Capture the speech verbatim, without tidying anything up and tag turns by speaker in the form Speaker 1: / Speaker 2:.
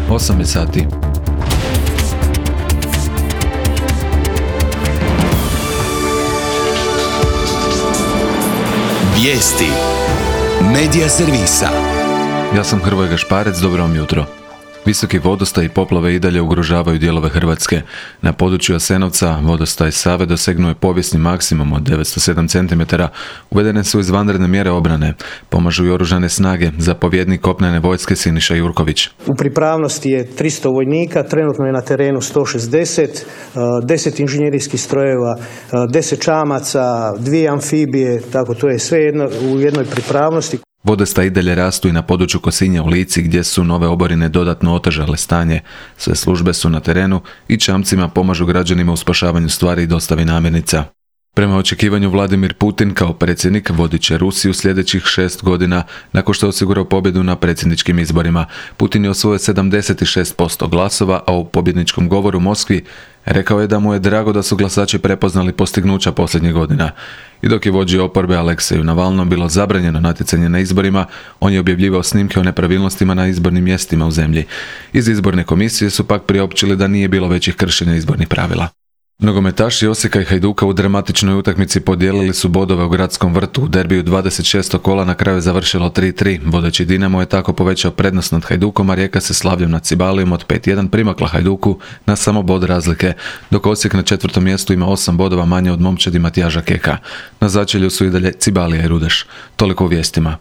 Speaker 1: osam je sati.
Speaker 2: Vijesti Medija servisa.
Speaker 1: Ja sam Hrvoje Gašparec, dobro vam jutro. Visoki vodostaj i poplave i dalje ugrožavaju dijelove Hrvatske. Na području Jasenovca vodostaj Save dosegnuo je povijesni maksimum od devetsto sedam centimetara. Uvedene su izvanredne mjere obrane. Pomažu i oružane snage, zapovjednik kopnene vojske Siniša Jurković.
Speaker 3: U pripravnosti je tristo vojnika, trenutno je na terenu sto šezdeset, deset inženjerijskih strojeva, deset čamaca, dvije amfibije, tako to je sve jedno, u jednoj pripravnosti.
Speaker 1: Vodostaj i dalje rastu i na području Kosinja u Lici gdje su nove oborine dodatno otežale stanje. Sve službe su na terenu i čamcima pomažu građanima u spašavanju stvari i dostavi namirnica. Prema očekivanju Vladimir Putin kao predsjednik vodit će Rusiju sljedećih šest godina nakon što je osigurao pobjedu na predsjedničkim izborima. Putin je osvojio sedamdeset šest posto glasova, a u pobjedničkom govoru u Moskvi rekao je da mu je drago da su glasači prepoznali postignuća posljednjih godina. I dok je vođi oporbe Alekseju Navalnom bilo zabranjeno natjecanje na izborima, on je objavljivao snimke o nepravilnostima na izbornim mjestima u zemlji. Iz izborne komisije su pak priopćili da nije bilo većih kršenja izbornih pravila. Nogometaši Osijeka i Hajduka u dramatičnoj utakmici podijelili su bodove u Gradskom vrtu. U derbiju dvadeset šestog kola na kraju je završilo tri tri. Vodeći Dinamo je tako povećao prednost nad Hajdukom, a Rijeka se slavljom nad Cibalijom od pet jedan primakla Hajduku na samo bod razlike, dok Osijek na četvrtom mjestu ima osam bodova manje od momčadi Matijaža Keka. Na začelju su i dalje Cibalija i Rudeš. Toliko u vijestima.